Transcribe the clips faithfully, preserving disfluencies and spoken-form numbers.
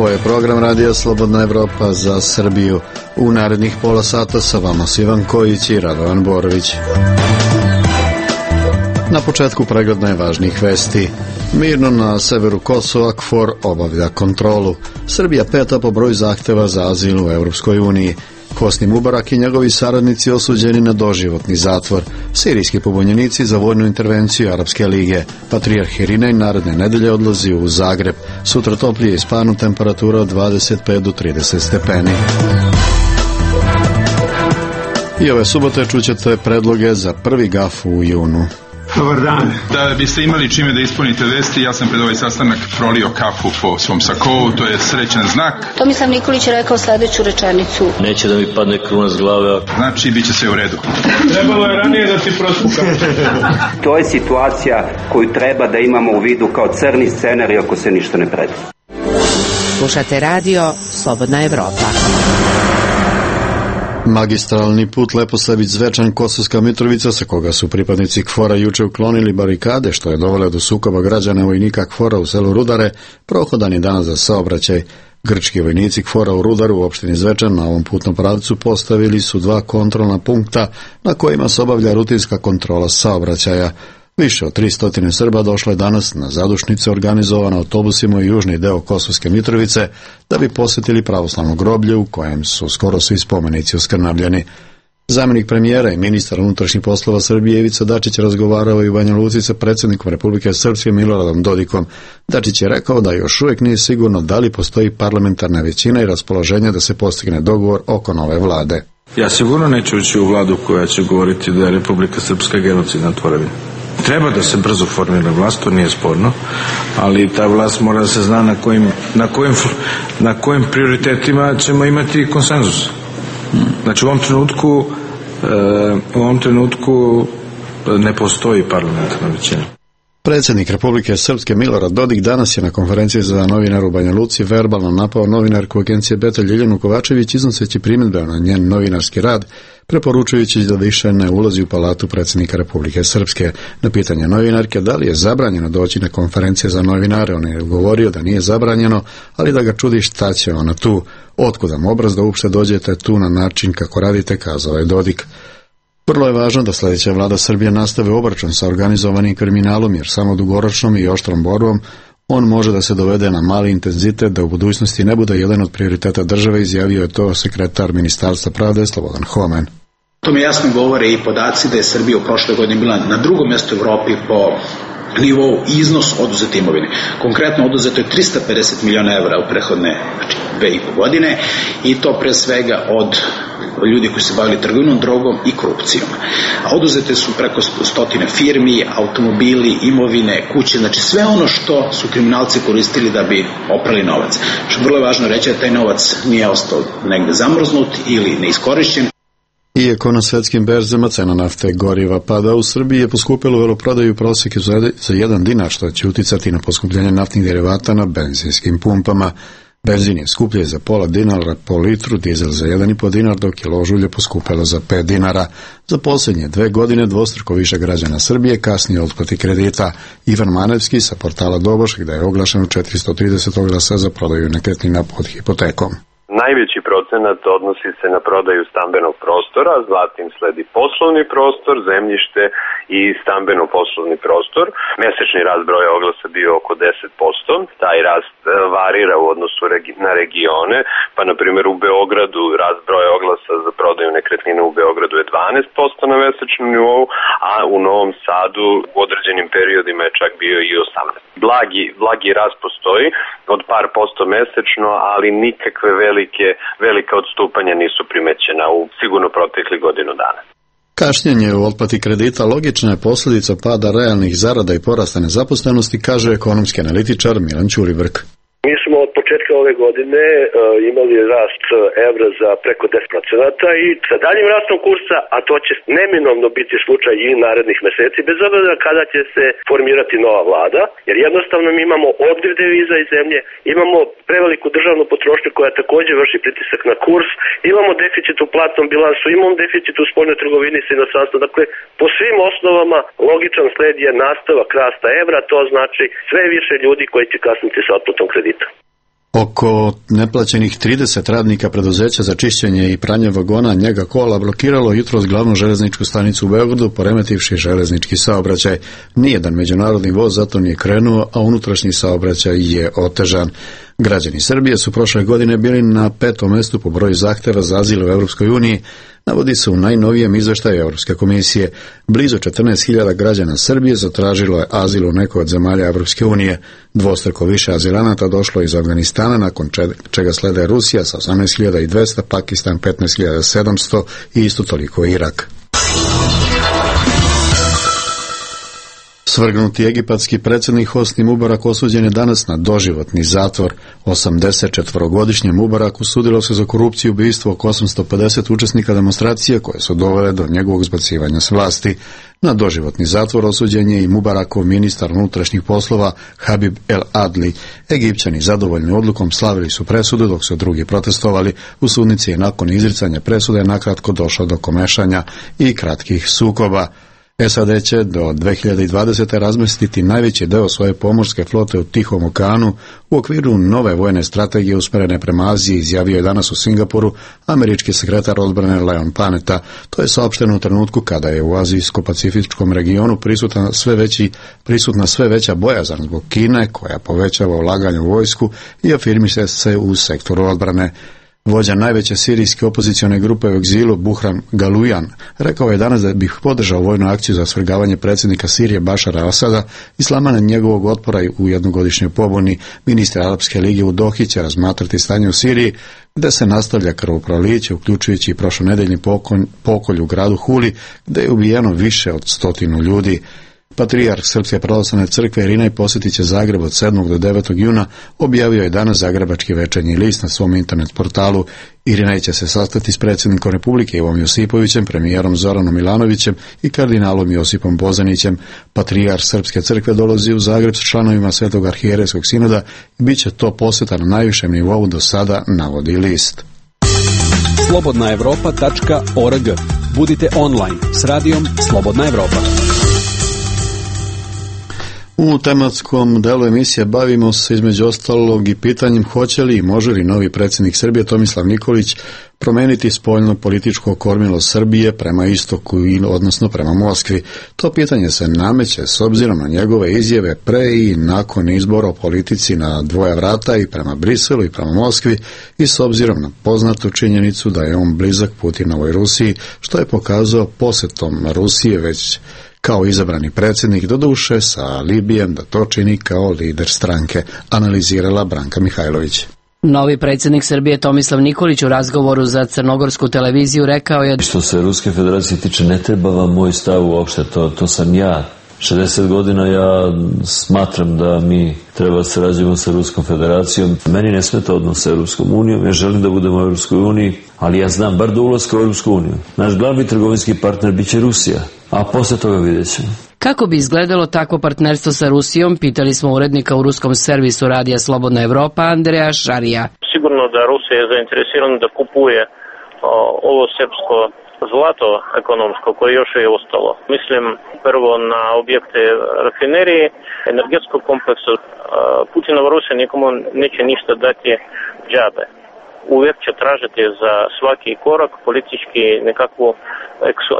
Ovo je program Radija Slobodna Evropa za Srbiju. U narednih pola sata sa vama Ivan Kojić i Radovan Borović. Na početku pregled najvažnijih vesti. Mirno na severu Kosova KFOR obavlja kontrolu. Srbija peta po broju zahteva za azil u Europskoj uniji. Hosni Mubarak i njegovi saradnici osuđeni na doživotni zatvor. Sirijski pobunjenici za vojnu intervenciju Arapske lige. Patrijarh Irinej naredne nedelje odlazi u Zagreb. Sutra toplije ispanu, temperatura od dvadeset pet do trideset stepeni. I ove subote čućete predloge za prvi gaf u junu. Dobar dan. Da biste imali čime da ispunite vesti, ja sam pred ovaj sastanak prolio kafu po svom sakovu, to je srećan znak. Tomislav Nikolić je rekao sledeću rečenicu. Neće da mi padne kruna s glave. Znači, bit će sve u redu. Trebalo je ranije da ti prospukam. To je situacija koju treba da imamo u vidu kao crni scenarij ako se ništa ne predvidi. Slušate radio Slobodna Evropa. Magistralni put Leposavić-Zvečan Kosovska Mitrovica, sa koga su pripadnici KFOR-a juče uklonili barikade, što je dovelo do sukoba građana vojnika KFOR-a u selu Rudare, prohodan je danas za saobraćaj. Grčki vojnici KFOR-a u Rudaru u opštini Zvečan na ovom putnom pravcu postavili su dva kontrolna punkta na kojima se obavlja rutinska kontrola saobraćaja. Više od tristo Srba došlo je danas na zadušnice organizovane autobusima u južni deo Kosovske Mitrovice da bi posjetili pravoslavno groblje u kojem su skoro svi spomenici oskrnavljeni. Zamjenik premijera i ministar unutrašnjih poslova Srbije Ivica Dačić razgovarao i u Banja Luci sa predsjednikom Republike Srpske Miloradom Dodikom. Dačić je rekao da još uvijek nije sigurno da li postoji parlamentarna većina i raspoloženje da se postigne dogovor oko nove vlade. Ja sigurno neću ući u vladu koja će govoriti da je Republika Srpska genocidna tvorevina. Treba da se brzo formira vlast, to nije sporno, ali ta vlast mora da se zna na kojim, na kojim, na kojim prioritetima ćemo imati konsenzus. Znači u ovom trenutku, u ovom trenutku ne postoji parlamentarna većina. Predsjednik Republike Srpske Milorad Dodik danas je na konferenciji za novinara u Banja Luci verbalno napao novinarku agencije Beta Ljiljanu Kovačević iznoseći primjedbe na njen novinarski rad, preporučujući da više ne ulazi u palatu predsjednika Republike Srpske. Na pitanje novinarke da li je zabranjeno doći na konferencije za novinare, on je govorio da nije zabranjeno, ali da ga čudi šta će ona tu. Otkudam obraz da uopšte dođete tu na način kako radite, kazao je Dodik. Vrlo je važno da sljedeća vlada Srbije nastave obračun sa organizovanim kriminalom, jer samo dugoročnom i oštrom borbom on može da se dovede na mali intenzitet, da u budućnosti ne bude jedan od prioriteta države, izjavio je to sekretar Ministarstva pravde Slobodan Homen. To mi jasno govore i podaci da je Srbija u prošloj godini bila na drugom mjestu u Evropi po nivou iznos oduzete imovine. Konkretno oduzeto je trista pedeset miliona evra u prethodne znači, dve i po godine i to pre svega od ljudi koji se bavili trgovinom drogom i korupcijom. A oduzete su preko stotine firmi, automobili, imovine, kuće, znači sve ono što su kriminalci koristili da bi oprali novac. Što vrlo je važno reći da taj novac nije ostao negde zamrznut ili neiskorišćen. Iako na svetskim berzama cena nafte goriva pada, u Srbiji je poskupilo veloprodaju prosjeke za jedan dinar, što će uticati na poskupljenje naftnih derivata na benzinskim pumpama. Benzin je skuplje za pola dinara po litru, dizel za jedan i po dinar, dok je ložulje poskupilo za pet dinara. Za posljednje dve godine dvostruko više građana Srbije kasnije otplati kredita. Ivan Manevski sa portala Doboš, gde je oglašeno četiristo trideset oglasa za prodaju nekretnina pod hipotekom. Najveći procenat odnosi se na prodaju stambenog prostora, zatim sledi poslovni prostor, zemljište i stambeno-poslovni prostor. Mesečni rast broja oglasa bio oko deset posto. Taj rast varira u odnosu na regione, pa na primjer u Beogradu rast broja oglasa za prodaju nekretnina u Beogradu je dvanaest posto na mesečnom nivou, a u Novom Sadu u određenim periodima je čak bio i osamnaest. Blagi, blagi rast postoji od par posto mesečno, ali nikakve velike, velika odstupanja nisu primećena u sigurno proteklih godinu dana. Kašnjenje u otplati kredita logična je posljedica pada realnih zarada i porasta nezaposlenosti, kaže ekonomski analitičar Milan Ćuribrk. Mi smo od početka ove godine uh, imali rast evra za preko deset procenata i sa daljim rastom kursa, a to će neminovno biti slučaj i narednih meseci, bez obzira kada će se formirati nova vlada, jer jednostavno mi imamo odliv deviza iz zemlje, imamo preveliku državnu potrošnju koja također vrši pritisak na kurs, imamo deficit u platnom bilansu, imamo deficit u spoljnoj trgovini sa inostranstvom, dakle po svim osnovama logičan sled je nastavak rasta evra, to znači sve više ljudi koji će kasniti sa otplatom kredita. Oko neplaćenih trideset radnika preduzeća za čišćenje i pranje vagona Njega kola blokiralo jutros glavnu železničku stanicu u Beogradu, poremetivši železnički saobraćaj. Nijedan međunarodni voz zato nije krenuo, a unutrašnji saobraćaj je otežan. Građani Srbije su prošle godine bili na petom mestu po broju zahteva za azil u Europskoj uniji, navodi se u najnovijem izveštaju Europske komisije. Blizu četrnaest hiljada građana Srbije zatražilo je azil u nekoj od zemalja Europske unije. Dvostruko više azilanata došlo iz Afganistana, nakon čega slede Rusija sa osamnaest hiljada dvesta, Pakistan petnaest hiljada sedamsto i isto toliko Irak. Svrgnuti egipatski predsjednik Hosni Mubarak osuđen je danas na doživotni zatvor. osamdesetčetvorogodišnjem Mubaraku sudilo se za korupciju i ubistvo oko osamsto pedeset učesnika demonstracije koje su dovele do njegovog zbacivanja s vlasti. Na doživotni zatvor osuđen je i Mubarakov ministar unutrašnjih poslova Habib El Adli. Egipćani zadovoljni odlukom slavili su presudu, dok su drugi protestovali. U sudnici je nakon izricanja presude nakratko došlo do komešanja i kratkih sukoba. S A D će do dve hiljade dvadesete razmestiti najveći deo svoje pomorske flote u Tihom okeanu u okviru nove vojne strategije usmjerene prema Aziji, izjavio je danas u Singapuru američki sekretar odbrane Leon Panetta. To je saopšteno u trenutku kada je u azijsko-pacifičkom regionu prisutna sve, veći, prisutna sve veća bojazan zbog Kine, koja povećava ulaganje u vojsku i afirmiše se u sektoru odbrane. Vođa najveće sirijske opozicione grupe u egzilu, Buhran Galujan, rekao je danas da bih podržao vojnu akciju za svrgavanje predsjednika Sirije Bašara Asada i slamanje njegovog otpora u jednogodišnjoj pobuni. Ministar Arapske lige u Dohi će razmatrati stanje u Siriji, gdje se nastavlja krvoproliće, uključujući i prošlonedeljni pokolj u gradu Huli, gdje je ubijeno više od stotinu ljudi. Patrijarh Srpske pravoslavne crkve Irinej posjetit će Zagreb od sedmog do devetog juna, objavio je danas Zagrebački večernji list na svom internet portalu. Irinej će se sastati s predsjednikom Republike Ivom Josipovićem, premijerom Zoranom Milanovićem i kardinalom Josipom Bozanićem. Patrijarh Srpske crkve dolazi u Zagreb s članovima Svetog arhijerejskog sinoda i bit će to posjeta na najvišem nivou do sada, navodi list. slobodna evropa tačka org. Budite online s radijom Slobodna Evropa. U tematskom delu emisije bavimo se između ostalog i pitanjem hoće li i može li novi predsjednik Srbije Tomislav Nikolić promijeniti spoljno političko kormilo Srbije prema istoku, odnosno prema Moskvi. To pitanje se nameće s obzirom na njegove izjave pre i nakon izbora o politici na dvoja vrata i prema Briselu i prema Moskvi i s obzirom na poznatu činjenicu da je on blizak Putinovoj Rusiji, što je pokazao posjetom Rusije već kao izabrani predsjednik, doduše sa alibijem da to čini kao lider stranke, analizirala Branka Mihajlović. Novi predsjednik Srbije Tomislav Nikolić u razgovoru za crnogorsku televiziju rekao je: Što se Ruske federacije tiče, ne treba vam moj stav uopšte, to, to sam ja. šezdeset godina ja smatram da mi treba da sarađujemo sa Ruskom federacijom. Meni ne smeta odnos sa Europskom unijom, ja želim da budemo u Europskoj uniji, ali ja znam bar do ulaska u Europsku uniju. Naš glavni trgovinski partner biće Rusija, a posle toga vidjet ćemo. Kako bi izgledalo takvo partnerstvo sa Rusijom, pitali smo urednika u ruskom servisu radija Slobodna Evropa Andreja Šarija. Sigurno da Rusija je zainteresirana da kupuje o, ovo srpsko zlato ekonomsko koje još je ostalo. Mislim prvo na objekte rafinerije, energetskog kompleksa. Putinova Rusija nikomu neće ništa dati džabe. Uvijek će tražiti za svaki korak politički nekakvu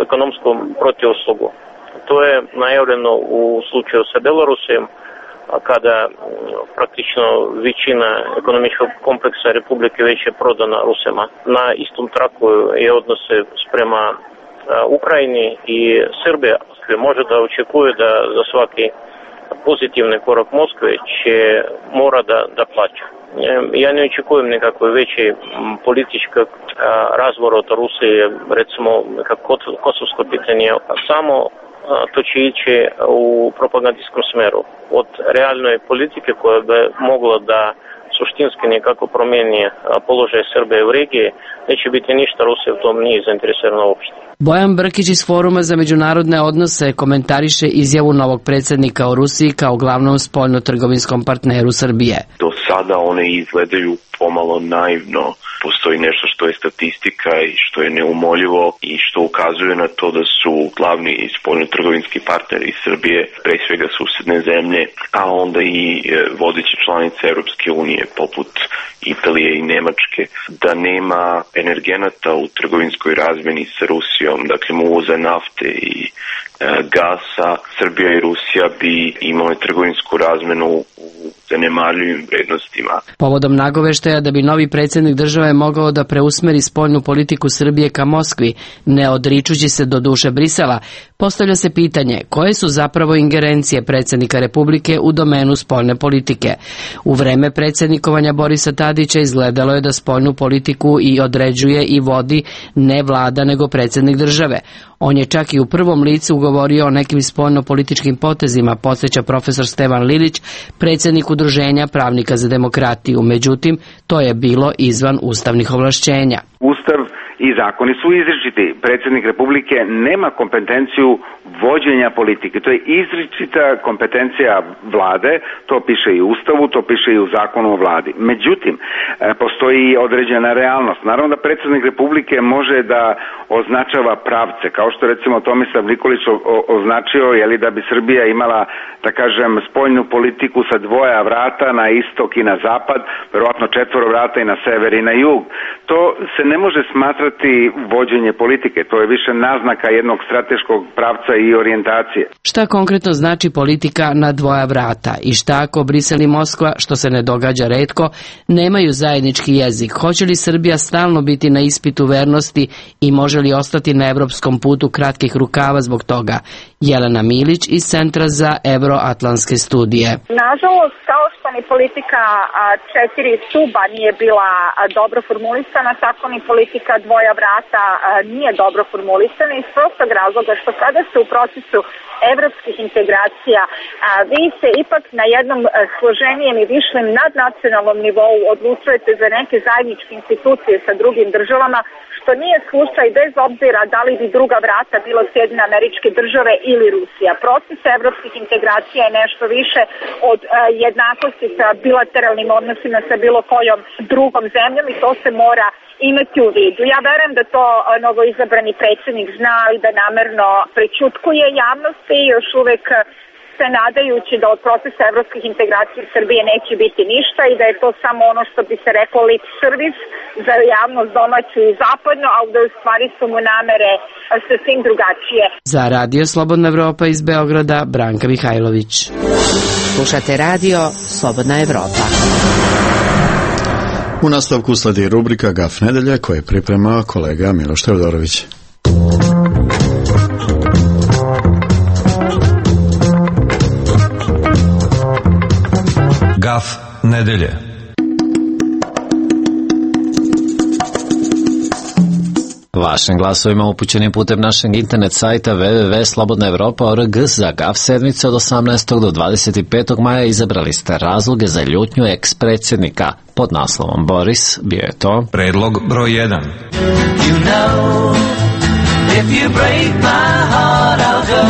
ekonomsku protivuslugu. To je najavljeno u slučaju sa Belorusijom, kada praktično većina ekonomičkog kompleksa Republike već je prodana Rusima. Na istom traku je odnose sprema Ukrajini i Srbije. Može da očekuje da za svaki pozitivni korak Moskve će mora da, da plaća. Ja ne očekujem nekakve veće političkog razvorota Rusije, recimo kako kosovsko pitanje, samo to će ići u propagandijskom smeru. Od realnoj politike koja bi mogla da suštinski nekako promijeni položaj Srbije u regiji, neće biti ništa, Rusija u tom nije zainteresirana uopšte. Bojan Brkić iz Foruma za međunarodne odnose komentariše izjavu novog predsjednika o Rusiji kao glavnom spoljno-trgovinskom partneru Srbije. Do sada one izgledaju pomalo naivno. Postoji nešto što je statistika i što je neumoljivo i što ukazuje na to da su glavni spoljno-trgovinski partneri Srbije, pre svega susedne zemlje, a onda i vodeće članice Europske unije. zemlje poput Italije i Nemačke, da nema energenata u trgovinskoj razmeni sa Rusijom, dakle uvoza nafte i e, gasa, Srbija i Rusija bi imale trgovinsku razmenu u zanemarljivim vrednostima. Povodom nagoveštaja da bi novi predsjednik države mogao da preusmeri spoljnu politiku Srbije ka Moskvi, ne odričući se do duše Brisela, postavlja se pitanje koje su zapravo ingerencije predsjednika Republike u domenu spoljne politike. U vreme predsjednikovanja Borisa Tadića izgledalo je da spoljnu politiku i određuje i vodi ne vlada nego predsjednik države. On je čak i u prvom licu govorio o nekim spoljno-političkim potezima, podsjeća profesor Stevan Lilić, predsjednik Udruženja pravnika za demokratiju. Međutim, to je bilo izvan ustavnih ovlašćenja. Ustav i zakoni su izričiti. Predsjednik Republike nema kompetenciju vođenja politike. To je izričita kompetencija vlade, to piše i u Ustavu, to piše i u zakonu o vladi. Međutim, postoji i određena realnost. Naravno da predsjednik Republike može da označava pravce, kao što recimo Tomislav Nikolić označio, jeli, da bi Srbija imala, da kažem, spoljnu politiku sa dvoja vrata na istok i na zapad, verovatno četvoro vrata i na sever i na jug. To se ne može smatrati vođenje politike, to je više naznaka jednog strateškog pravca i orijentacije. Šta konkretno znači politika na dvoja vrata i šta ako Brisel i Moskva, što se ne događa retko, nemaju zajednički jezik? Hoće li Srbija stalno biti na ispitu vernosti i može li ostati na evropskom putu kratkih rukava zbog toga? Jelena Milić iz Centra za Evroatlantske studije. Nažalost, kao što ni politika četiri stuba nije bila dobro formulisana, tako ni politika dvoja vrata nije dobro formulisana iz prostog razloga što kada se u procesu evropskih integracija vi se ipak na jednom složenijem i višem nadnacionalnom nivou odlučujete za neke zajedničke institucije sa drugim državama, što nije slučaj bez obzira da li bi druga vrata bilo Sjedinjene Američke Države ili Rusija. Proces evropskih integracija je nešto više od uh, jednakosti sa bilateralnim odnosima sa bilo kojom drugom zemljom i to se mora imati u vidu. Ja verujem da to uh, novoizabrani predsjednik zna i da namerno prećutkuje javnosti i još uvek uh, se nadajući da od procesa evropskih integracija Srbije neće biti ništa i da je to samo ono što bi se reklo lip servis za javnost domaću i zapadno, a da u stvari su mu namere sasvim drugačije. Za Radio Slobodna Evropa iz Beograda, Branka Mihajlović. Slušate Radio Slobodna Evropa. U nastavku sledi rubrika Gaf nedelje koje priprema kolega Miloš Teodorović. Gaf nedelje. Vašim glasovima upućenim putem našeg internet sajta w w w tačka slobodna evropa tačka org za Gaf sedmice od osamnaestog do dvadeset petog maja izabrali ste razloge za ljutnju eks-predsjednika. Pod naslovom Boris bio je to predlog broj jedan. You know, if you break my heart I'll go,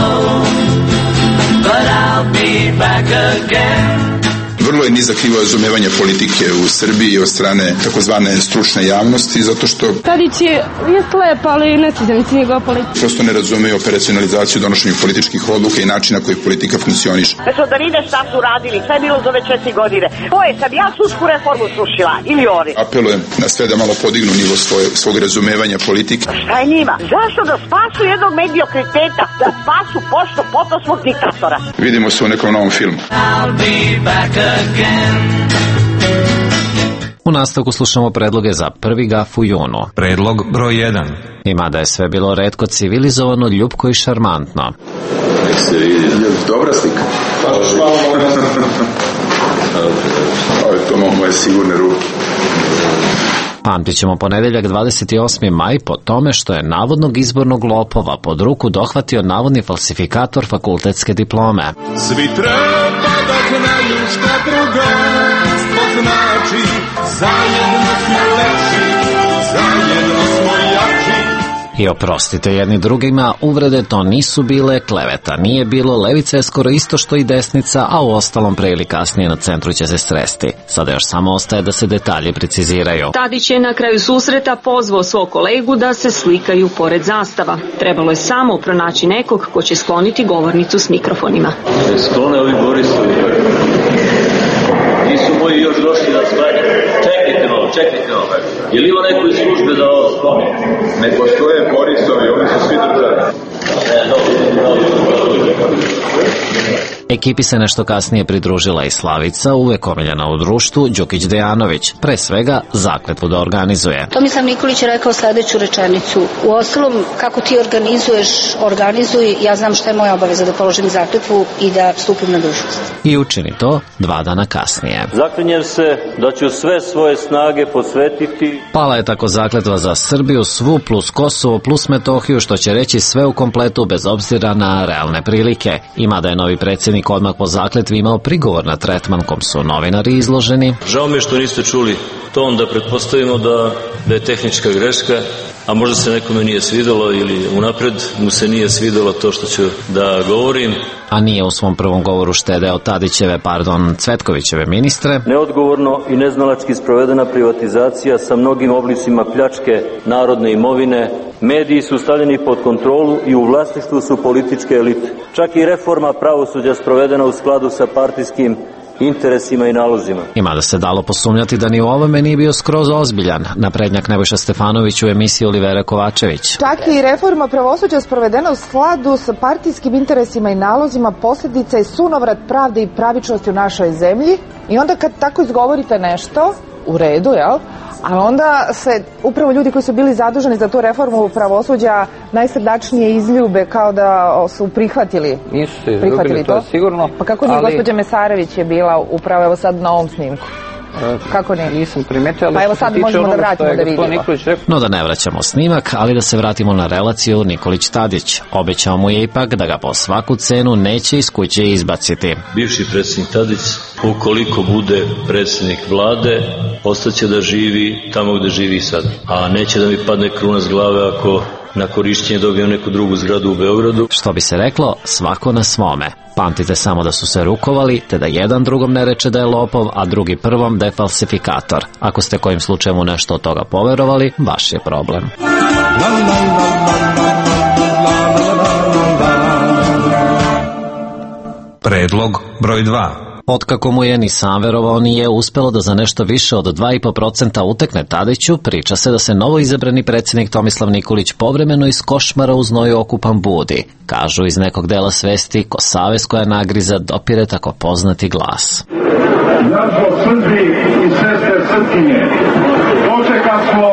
but I'll be back again. Vrlo je nizak nivo razumevanja politike u Srbiji od strane takozvane stručne javnosti, zato što Tadić je, je slep, ali ne sviđa mi se njegova politika. Prosto ne razumeju operacionalizaciju donošenja političkih odluka i načina koji politika funkcioniše. Mesto da vide šta su radili, šta je bilo za ove četiri godine. To je, sad ja sudsku reformu srušila, ili oni. Apelujem na sve da malo podignu nivo svoje, svog razumevanja politike. Šta je njima? Zašto da spasu jednog mediokriteta, da spasu pošto potom svog diktatora? Vidimo se u nekom novom filmu. I'll be back again. U nastavku slušamo predloge za prvi Gaf u junu. Predlog broj jedan. I mada je sve bilo retko civilizovano, ljubko i šarmantno. Nek se vidi. Dobra slika. Pa što malo mogu. Ovo je to moje sigurne ruke. Pamtit ćemo ponedeljak dvadeset osmi maj po tome što je navodnog izbornog lopova pod ruku dohvatio navodni falsifikator fakultetske diplome. Svi treba da znaju šta drugarstvo znači, zajedno smo lepši, zajedno smo jači. I oprostite jedni drugima, uvrede to nisu bile, kleveta nije bilo, levica je skoro isto što i desnica, a u ostalom pre ili kasnije na centru će se sresti. Sada još samo ostaje da se detalji preciziraju. Tadić je na kraju susreta pozvao svog kolegu da se slikaju pored zastava. Trebalo je samo pronaći nekog ko će skloniti govornicu s mikrofonima. Sklone ovi Borisovi. Nisu moji još došli na sklanja. Čekajte malo, čekajte malo. Je li ima neko iz službe da ovo skloni? Ne postoje Borisovi, oni su svi državi. Ne, dobro, dobro, dobro. Ekipi se nešto kasnije pridružila i Slavica, uvek omiljena u društvu, Đukić Dejanović, pre svega zakletvu da organizuje. Tomislav Nikolić je rekao sledeću rečenicu. U ostalom, kako ti organizuješ, organizuj, ja znam šta je moja obaveza da položim zakletvu i da stupim na dužnost. I učini to dva dana kasnije. Zaklinjem se da ću sve svoje snage posvetiti. Pala je tako zakletva za Srbiju, svu plus Kosovo plus Metohiju, što će reći sve u kompletu bez obzira na realne prilike. Ima da je novi predsjednik odmah po zakletvi imao prigovor na tretman kom su novinari izloženi. Žao mi je što niste čuli ton da pretpostavimo da, da je tehnička greška, a možda se nekome nije svidelo ili unapred mu se nije svidelo to što ću da govorim. A nije u svom prvom govoru štedeo Tadićeve, pardon, Cvetkovićeve ministre. Neodgovorno i neznalački sprovedena privatizacija sa mnogim oblicima pljačke narodne imovine. Mediji su stavljeni pod kontrolu i u vlasništvu su političke elite. Čak i reforma pravosuđa sprovedena u skladu sa partijskim interesima i nalozima. Ima da se dalo posumnjati da ni u ovome nije bio skroz ozbiljan. Naprednjak Nebojša Stefanović u emisiji Olivera Kovačević. Čak i reforma pravosuđa sprovedena u skladu sa partijskim interesima i nalozima posljedica je sunovrat pravde i pravičnosti u našoj zemlji. I onda kad tako izgovorite nešto, u redu, jel? Ali onda se upravo ljudi koji su bili zaduženi za tu reformu pravosuđa najsrdačnije izljube kao da su prihvatili. Nisu se izljubili, to sigurno. Pa kako nije ali... gospođa Mesarević je bila upravo evo sad na ovom snimku? Kako ne? Nisam primetio, ali pa evo sad možemo da vratimo da vidimo. No da ne vraćamo snimak, ali da se vratimo na relaciju Nikolić-Tadić. Obećao mu je ipak da ga po svaku cenu neće iz kuće izbaciti. Bivši predsjednik Tadić, ukoliko bude predsjednik vlade, ostaće da živi tamo gde živi sad. A neće da mi padne kruna s glave ako na korišćenje dobio neku drugu zgradu u Beogradu. Što bi se reklo, svako na svome. Pamtite samo da su se rukovali, te da jedan drugom ne reče da je lopov, a drugi prvom da je falsifikator. Ako ste kojim slučajem u nešto od toga poverovali, vaš je problem. Predlog broj dva. Otkako mu je ni sam verovao nije uspelo da za nešto više od dva i po procenta utekne Tadiću, priča se da se novo izabrani predsjednik Tomislav Nikolić povremeno iz košmara u znoju okupan budi. Kažu iz nekog dela svesti ko savez koja nagriza dopire tako poznati glas. Zato Srbi i sestre Srpkinje, dočeka smo.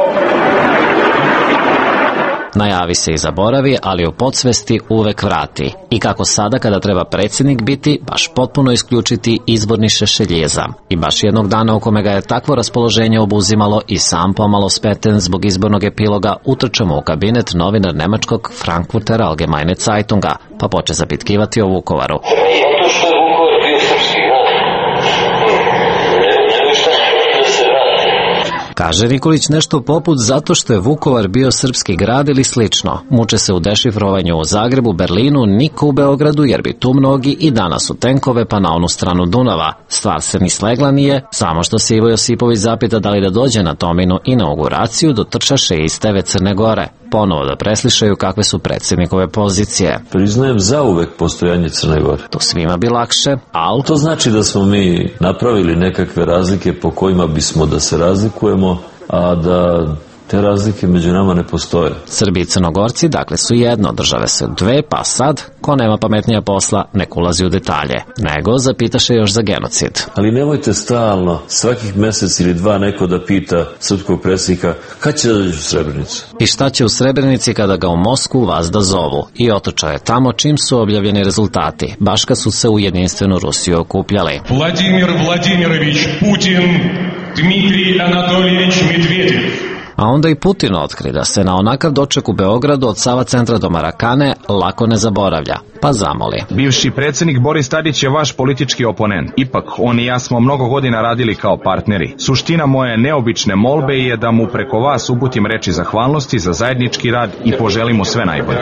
Najavi se i zaboravi, ali u podsvesti uvek vrati. I kako sada kada treba predsjednik biti, baš potpuno isključiti izborni šešeljezam. I baš jednog dana u kome ga je takvo raspoloženje obuzimalo i sam pomalo speten zbog izbornog epiloga, utrčamo u kabinet novinar nemačkog Frankfurter Allgemeine Zeitunga, pa poče zapitkivati o Vukovaru. Zato što je Vukovar bio srpski grad. Kaže Nikolić nešto poput zato što je Vukovar bio srpski grad ili slično. Muče se u dešifrovanju u Zagrebu, Berlinu, niko u Beogradu jer bi tu mnogi i danas u tenkove pa na onu stranu Dunava. Stvar se ni slegla nije, samo što se Ivo Josipović zapita da li da dođe na Tominu inauguraciju, dotrčaše iz T V Crne Gore. Ponovo da preslišaju kakve su predsjednikove pozicije. Priznajem zauvek postojanje Crne Gore. To svima bi lakše, ali... To znači da smo mi napravili nekakve razlike po kojima bismo da se razlikujemo, a da te razlike među nama ne postoje. Srbi i Crnogorci, dakle, su jedno, države se dve, pa sad, ko nema pametnija posla, nek ulazi u detalje. Nego zapitaše još za genocid. Ali nemojte stalno, svakih mesec ili dva neko da pita srpskog predsjednika kad će da dođe u Srebrenicu. I šta će u Srebrenici kada ga u Moskvu vazda zovu? I otočao je tamo čim su objavljeni rezultati, baš kad su se u jedinstvenu Rusiju okupljali. Vladimir Vladimirović Putin, Dmitrij Anatolijević Medvedev. A onda i Putin otkri da se na onakav doček u Beogradu od Sava centra do Marakane lako ne zaboravlja, pa zamoli. Bivši predsjednik Boris Tadić je vaš politički oponent. Ipak, on i ja smo mnogo godina radili kao partneri. Suština moje neobične molbe je da mu preko vas uputim reči zahvalnosti za zajednički rad i poželim mu sve najbolje.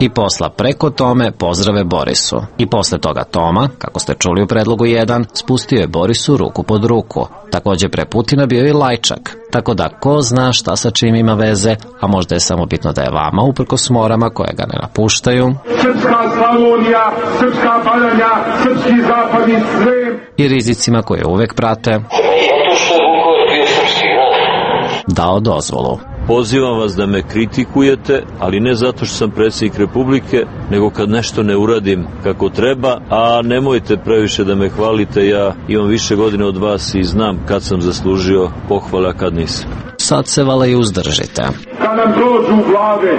I posla preko Tome pozdrave Borisu. I posle toga Toma, kako ste čuli u predlogu jedan, spustio je Borisu ruku pod ruku. Također pre Putina bio i Lajčak. Tako da ko zna šta sa čim ima veze, a možda je samo bitno da je vama uprkos morama koje ga ne napuštaju. Srpska Slavonija, srpska Badanja, srpski zapadni Srem. I rizicima koje uvek prate. Zato što je dao dozvolu. Pozivam vas da me kritikujete, ali ne zato što sam predsjednik Republike, nego kad nešto ne uradim kako treba, a nemojte previše da me hvalite, ja imam više godine od vas i znam kad sam zaslužio pohvale, a kad nisam. Sad se vala i uzdržite. Kad nam dođu vlade.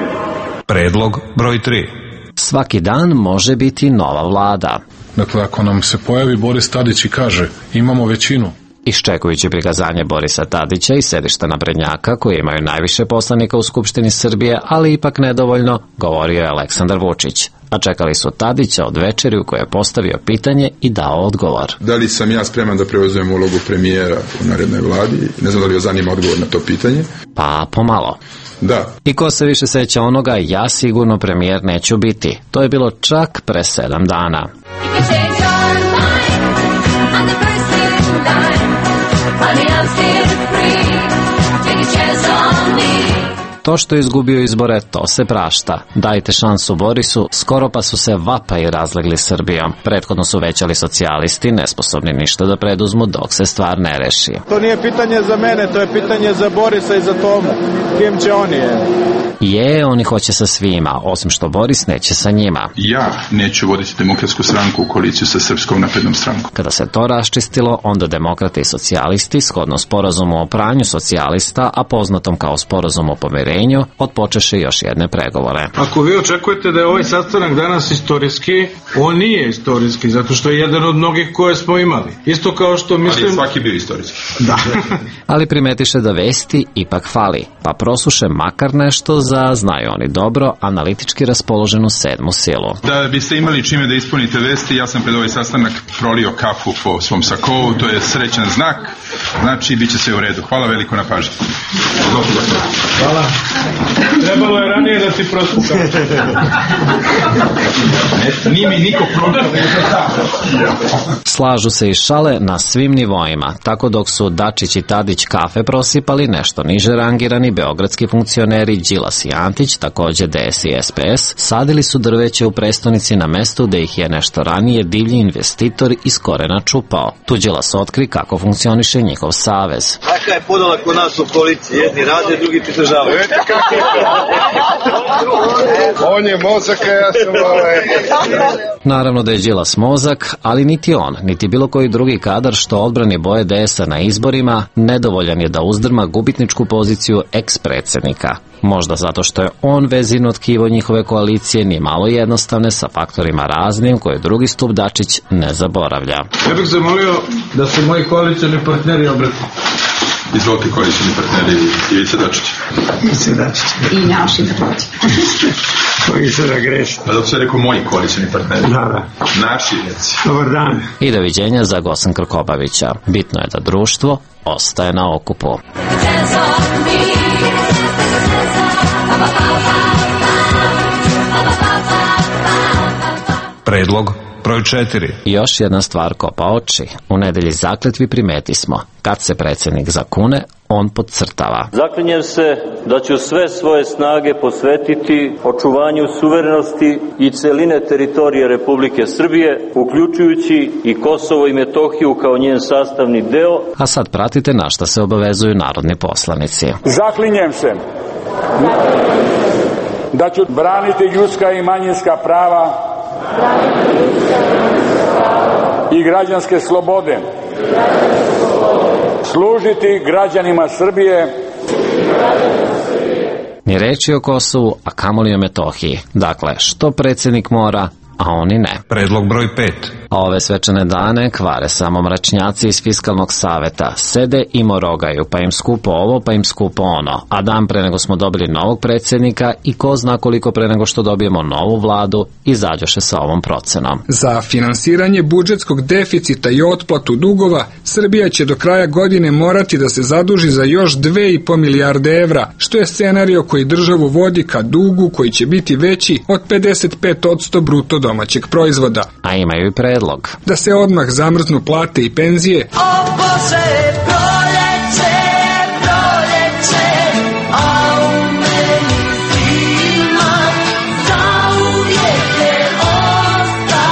Predlog broj tri. Svaki dan može biti nova vlada. Dakle, ako nam se pojavi Boris Tadić i kaže imamo većinu, Iščekujući prikazanje Borisa Tadića i sedišta naprednjaka koji imaju najviše poslanika u Skupštini Srbije, ali ipak nedovoljno, govorio je Aleksandar Vučić. A čekali su Tadića od večeri u kojoj je postavio pitanje i dao odgovor. Da li sam ja spreman da preuzmem ulogu premijera u narednoj vladi? Ne znam da li vas zanima odgovor na to pitanje. Pa pomalo. Da. I ko se više seća onoga, ja sigurno premijer neću biti. To je bilo čak pre sedam dana. To što je izgubio izbore, to se prašta. Dajte šansu Borisu, skoro pa su se vapaji razlegli Srbijom. Prethodno su većali socijalisti, nesposobni ništa da preduzmu dok se stvar ne reši. To nije pitanje za mene, to je pitanje za Borisa i za Tomu. Kim će oni je? Je, oni hoće sa svima, osim što Boris neće sa njima. Ja neću voditi Demokratsku stranku u koaliciju sa Srpskom naprednom strankom. Kada se to raščistilo, onda demokrate i socijalisti, shodno sporazumu o pranju socijalista, a poznatom kao sporazum o pomirenju, otpočeše još jedne pregovore. Ako vi očekujete da je ovaj sastanak danas istorijski, on nije istorijski, zato što je jedan od mnogih koje smo imali. Isto kao što mislim... Ali je svaki bio istorijski. Da. Ali primetiše da vesti ipak fali, pa prosuše makar nešto za, znaju oni dobro, analitički raspoloženu sedmu silu. Da biste imali čime da ispunite vesti, ja sam pred ovaj sastanak prolio kafu po svom sakovu, to je srećan znak, znači bit će sve u redu. Hvala veliko na pažnji. Hvala. Trebalo je ranije da ti prospukam. Nije mi niko program. Slažu se i šale na svim nivoima, tako dok su Dačić i Tadić kafe prosipali, nešto niže rangirani beogradski funkcioneri Đilas i Antić, takođe D S i S P S, sadili su drveće u prestonici na mestu da ih je nešto ranije divlji investitor iz korena čupao. Tu Đilas otkri kako funkcioniše njihov savez. Kakva je podala kod nas u koaliciji? Jedni rade, drugi pridržavaju. on je mozak, a ja sam ovaj... Naravno da je Đilas mozak, ali niti on, niti bilo koji drugi kadar što odbrani boje D S-a na izborima, nedovoljan je da uzdrma gubitničku poziciju eks-predsednika. Možda zato što je on vezino tkivo njihove koalicije ni malo jednostavne sa faktorima raznim koje drugi stup Dačić ne zaboravlja. Ja bih zamolio da se moji koalicijani partneri obrati. Izvolite koalicijani partneri Ivica Dačić. Ivica Dačić. I naši takođe. Koji se da greši. Pa dok se rekao moji koalicijani partneri. Da, da. Naši reci. Dobar dan. I doviđenja za Gosan Krkobabića. Bitno je da društvo ostaje na okupu. Predlog broj četiri. Još jedna stvar kopa oči. U nedelji zakletvi primeti smo. Kad se predsjednik zakune, on podcrtava. Zaklinjem se da ću sve svoje snage posvetiti očuvanju suverenosti i celine teritorije Republike Srbije, uključujući i Kosovo i Metohiju kao njen sastavni deo. A sad pratite na šta se obavezuju narodni poslanici. Zaklinjem se da ću braniti ljudska i manjinska prava i građanske slobode, služiti građanima Srbije. Ni reči o Kosovu, a kamoli o Metohiji. Dakle, što predsjednik mora, a oni ne. Predlog broj pet. A ove svečane dane kvare samo mračnjaci iz Fiskalnog saveta. Sede i morogaju, pa im skupo ovo, pa im skupo ono. A dan pre nego smo dobili novog predsjednika i ko zna koliko pre nego što dobijemo novu vladu, izađoše sa ovom procenom. Za finansiranje budžetskog deficita i otplatu dugova, Srbija će do kraja godine morati da se zaduži za još dve i po milijarde evra, što je scenario koji državu vodi ka dugu koji će biti veći od pedeset pet posto bruto domaćeg proizvoda. A imaju i predlog. Da se odmah zamrznu plate i penzije. O Bože, proljeće, proljeće, a u meni zima zauvijek je ostala.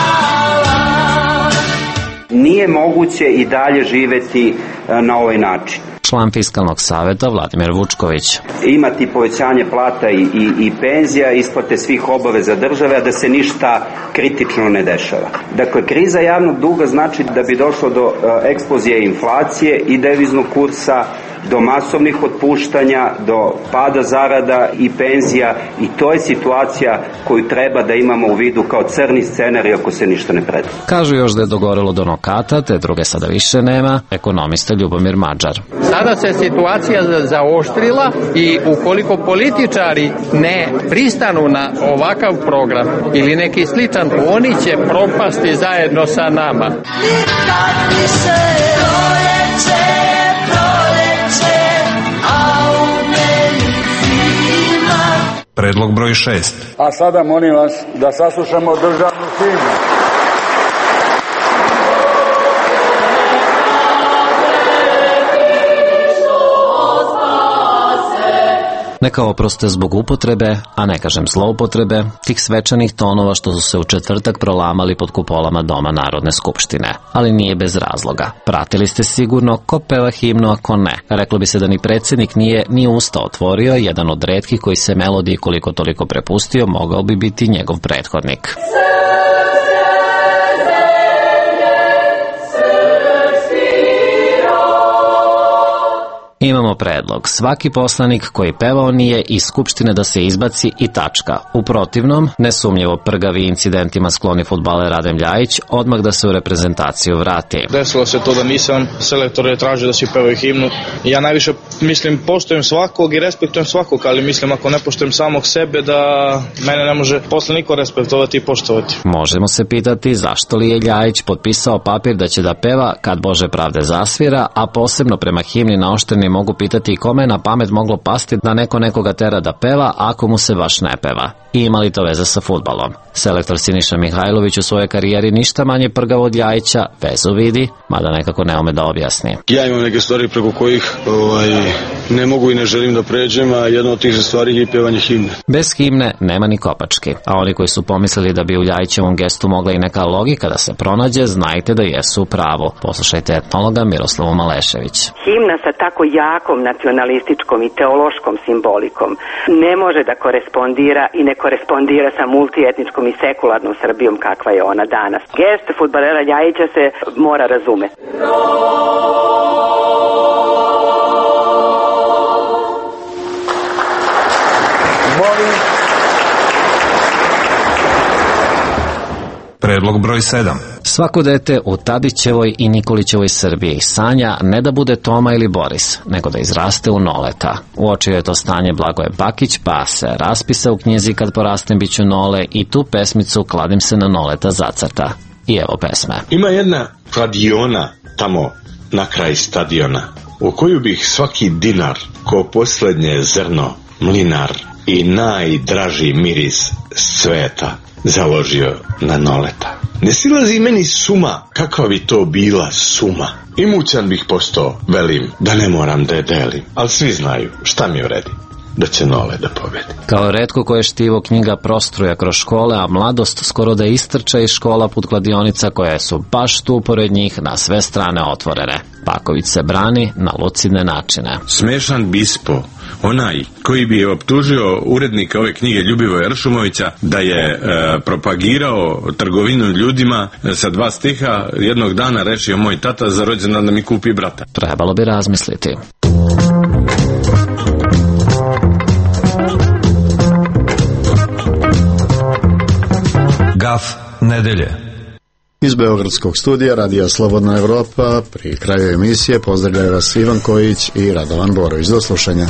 Nije moguće i dalje živeti na ovaj način. član Fiskalnog saveta Vladimir Vučković. Imati povećanje plata i, i, i penzija, isplate svih obaveza države, a da se ništa kritično ne dešava. Dakle, kriza javnog duga znači da bi došlo do uh, eksplozije inflacije i deviznog kursa, do masovnih otpuštanja, do pada zarada i penzija, i to je situacija koju treba da imamo u vidu kao crni scenarij ako se ništa ne predvidi. Kažu još da je dogorelo do nokata, te druge sada više nema, ekonomista Ljubomir Mađar. Sada se situacija zaoštrila i ukoliko političari ne pristanu na ovakav program ili neki sličan, oni će propasti zajedno sa nama. Predlog broj šest. A sada molim vas da saslušamo državnu himnu. Neka oproste zbog upotrebe, a ne kažem zloupotrebe, tih svečanih tonova što su se u četvrtak prolamali pod kupolama Doma Narodne skupštine. Ali nije bez razloga. Pratili ste sigurno ko peva himnu, a ko ne. Reklo bi se da ni predsjednik nije ni usta otvorio, jedan od retkih koji se melodiji koliko toliko prepustio mogao bi biti njegov prethodnik. Imamo predlog. Svaki poslanik koji pevao nije iz Skupštine da se izbaci i tačka. U protivnom, nesumnjivo prgavi incidentima skloni fudbaler Adem Ljajić, odmah da se u reprezentaciju vrati. Desilo se to da nisam, selektor je tražio da si pevaju himnu. Ja najviše, mislim, poštujem svakog i respektujem svakog, ali mislim ako ne poštujem samog sebe da mene ne može posle niko respektovati i poštovati. Možemo se pitati zašto li je Ljajić potpisao papir da će da peva kad Bože pravde zasvira, a posebno prema himni naoštreni mogu pitati kome je na pamet moglo pasti da neko nekoga tera da peva ako mu se baš ne peva. I ima li to veze sa fudbalom? Selektor Siniša Mihajlović u svojoj karijeri ništa manje prgav od Ljajića, vezu vidi, mada nekako ne ume da objasni. Ja imam neke stvari preko kojih ovaj, ne mogu i ne želim da pređem, a jedna od tih stvari je pevanje himne. Bez himne nema ni kopački, a oni koji su pomislili da bi u Ljajićevom gestu mogla i neka logika da se pronađe, znajte da jesu u pravu. Poslušajte etnologa Miroslavu Malešević. Himna sa tako jakom nacionalističkom i teološkom simbolikom ne može da korespondira i ne korespondira sa multietničkom i sekularnom Srbijom kakva je ona danas. Gest fudbalera Ljajića se mora razumeti. Predlog broj sedam. Svako dete u Tadićevoj i Nikolićevoj Srbiji sanja ne da bude Toma ili Boris, nego da izraste u Noleta. Uočio je to stanje Blagoje Bakić, pa se raspisa u knjizi Kad porastem biću Nole i tu pesmicu Kladim se na Noleta zacrta. I evo pesme. Ima jedna kladiona tamo na kraj stadiona, u koju bih svaki dinar, ko poslednje zrno, mlinar i najdraži miris sveta založio na Noleta. Ne silazi meni suma, kakva bi to bila suma. Imućan bih postao, velim, da ne moram da je delim. Ali svi znaju šta mi vredi, da će Nole da pobedi. Kao retko koje štivo knjiga prostruja kroz škole, a mladost skoro da istrča iz škola put kladionica koje su baš tu pored njih na sve strane otvorene. Paković se brani na lucidne načine. Smešan bispo, onaj koji bi optužio urednika ove knjige Ljubivoja Ršumovića da je e, propagirao trgovinu ljudima sa dva stiha, jednog dana rešio moj tata za rođendan da mi kupi brata. Trebalo bi razmisliti. Gaf nedelje. Iz Beogradskog studija Radija Slobodna Evropa pri kraju emisije pozdravljaju vas Ivan Kojić i Radovan Borović. Do slušanja.